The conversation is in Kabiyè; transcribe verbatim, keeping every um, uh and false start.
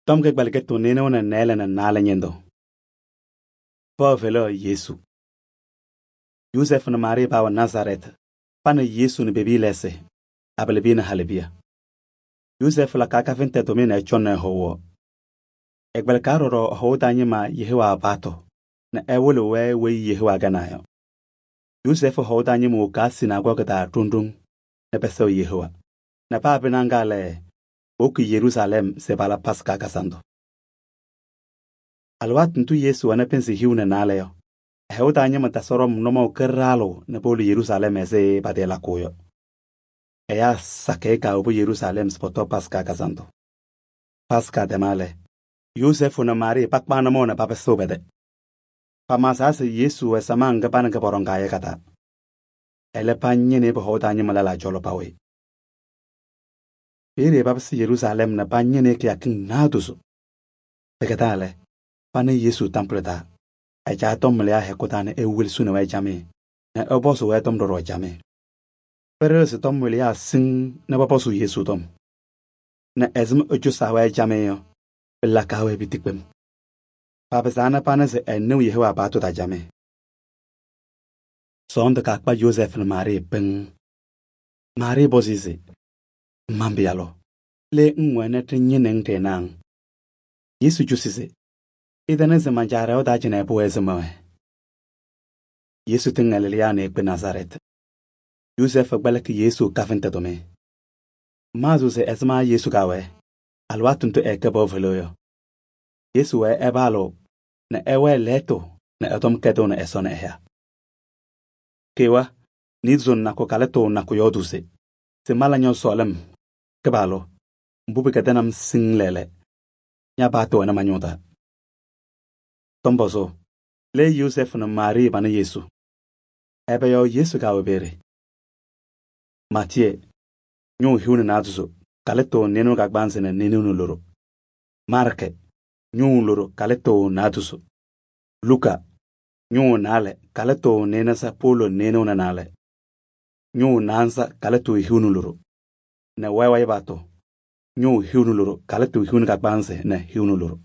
Tɔm kɩgbɛlɩkɩtʋ nɩɩnʋwa nɛ nɩɩlɛ nɛ naalɛ ñɩndʋ. Pɔɔ fɛlɛɣ Yesu. Yozɛɛfʋ nɛ Maarɩɩ paawɛ Nazarɛɛtɩ. Pa nɛ Yesu nɛ pe-piya lɛɛsɩ, abalɩbiya nɛ halɩbiya. Yozɛɛfʋ lakaa kafɩntɛ tʋmɩyɛ nɛ ɛcɔŋnɩ ɛ-hɔʋ. Ɛkpɛlɩkaa ɖɔɖɔ ɛ-hɔʋ taa ñɩma Yehowaa paɣtʋ nɛ ɛwɩlɩɣ-wɛ weyi Yehowaa kɛnaa yɔ. Yozɛɛfʋ hɔʋ taa ñɩma wokaa sinaagɔɔgɩ taa ɖoŋ ɖoŋ nɛ pɛsɛɣ Yehowaa nɛ paa pɩnaɣ ŋga lɛ, powoki Yeruusalɛm se pala Paskaa kazandʋ. Alɩwaatʋ ndʋ Yesu wɛnɩ pɩnzɩ hiu nɛ naalɛ yɔ, ɛ-hɔʋ taa ñɩma tasɩ ɖɔm nʋmɔʋ kɩɖaɣlʋ nɛ powolo Yeruusalɛm ɛzɩ patɩɩlakʋʋ yɔ. Ɛyaa sakɩyɛ kaawobi Yeruusalɛm se pɔtɔ Paskaa kazandʋ. Paskaa tɛma lɛ, Yozɛɛfʋ nɛ Maarɩɩ pakpaɣ nʋmɔʋ nɛ papɩsɩɣ pɛ-tɛ. Pamaɣzaa se Yesu wɛ samaɣ ŋga pa nɛ kɛ pɔɖɔŋaa yɔ ka-taa. Ɛlɛ pañɩnɩ pɔ-hɔʋ taa ñɩma lɛlaa cɔlɔ pawɩ. Peeye papɩsɩ Yeruusalɛm nɛ pañɩnɩ kɩyakɩŋ naadozo. Pɩkɛdaa lɛ, panɩ Yesu tampʋlɩ taa, ɛcaa tɔmwɩlɩyaa hɛkʋ taa nɛ ewelesini-wɛ camɩyɛ nɛ ɛpɔzʋʋ-wɛ tɔm ɖɔɖɔ camɩyɛ. Pɩɖɩɣzɩ tɔmwɩlɩyaa siŋŋ nɛ pɔpɔzʋʋ Yesu tɔm. Nɛ ɛzɩma ɛcɔsaa-wɛ camɩyɛ yɔ, pɩlakaɣ-wɛ piti kpem. Papɩzaa nɛ panɩ se ɛnɩɣ Yehowaa paɣtʋ taa camɩyɛ. Sɔɔndʋ kakpa Yozɛɛfʋ nɛ Maarɩɩ pɩŋ. Maarɩɩ pɔzɩ se: “Man-Pɩyalʋ, le ŋwɛnɩ ɖɩñɩnɩ-ŋ ɖɩɩnaɣ-ŋ?” Yesu cosi se: “Ɩtɛnɩ se man-Caa ɖɛʋ taa cɩnɛ pʋwɛɛ se mɛwɛɛ.” Yesu tɩŋ Galilea nɛ ekpe Nazarɛɛtɩ. Yozɛɛfʋ kpɛlɩkɩ Yesu kafɩntɛ tʋmɩyɛ. Maɣzɩɣ se ɛzɩma Yesu kaawɛɛ alɩwaatʋ ndʋ ɛɛkɛ pɔɔ fɛlɛɣ yɔ. Yesu wɛɛ ɛpaalɩɣ nɛ ɛwɛɛ lɛɣtʋ nɛ ɛ-tɔm kɛdɩɣnɩ Ɛsɔ nɛ ɛyaa. Kewa niidozo nakʋ kalɩtʋ nakʋ yɔɔdʋʋ se: “Se mala ñɔ-sɔɔlɩm, Kɩpaɣlʋ, mbʋ pɩkɛdɩnɩ-m siŋŋ lɛɛlɛ, ña-paɣtʋ wɛnɩ ma-ñʋʋ taa.” Tɔm-pɔzʋʋ, le Yozɛɛfʋ nɛ Maarɩɩ panɩ Yesu. Ɛbɛ yɔɔ Yesu kaawɛ peeye? Maatiyee ñʋʋ hiu nɛ naadozo kalɩtʋ nɩɩnʋwa kagbaanzɩ nɛ nɩɩnʋwa loɖo. Maarkɩ ñʋʋ loɖo kalɩtʋ naadozo. Luka ñʋʋ naalɛ kalɩtʋ nɩɩnaza powolo nɩɩnʋwa nɛ naalɛ. Ñʋʋ naanza kalɩtʋ hiu nɛ loɖo. Nɛ wɛɛwɛɛ paɣtʋ ñʋʋ hiu nɛ loɖo kalɩtʋ hiu nɛ kagbaanzɩ nɛ hiu nɛ loɖo.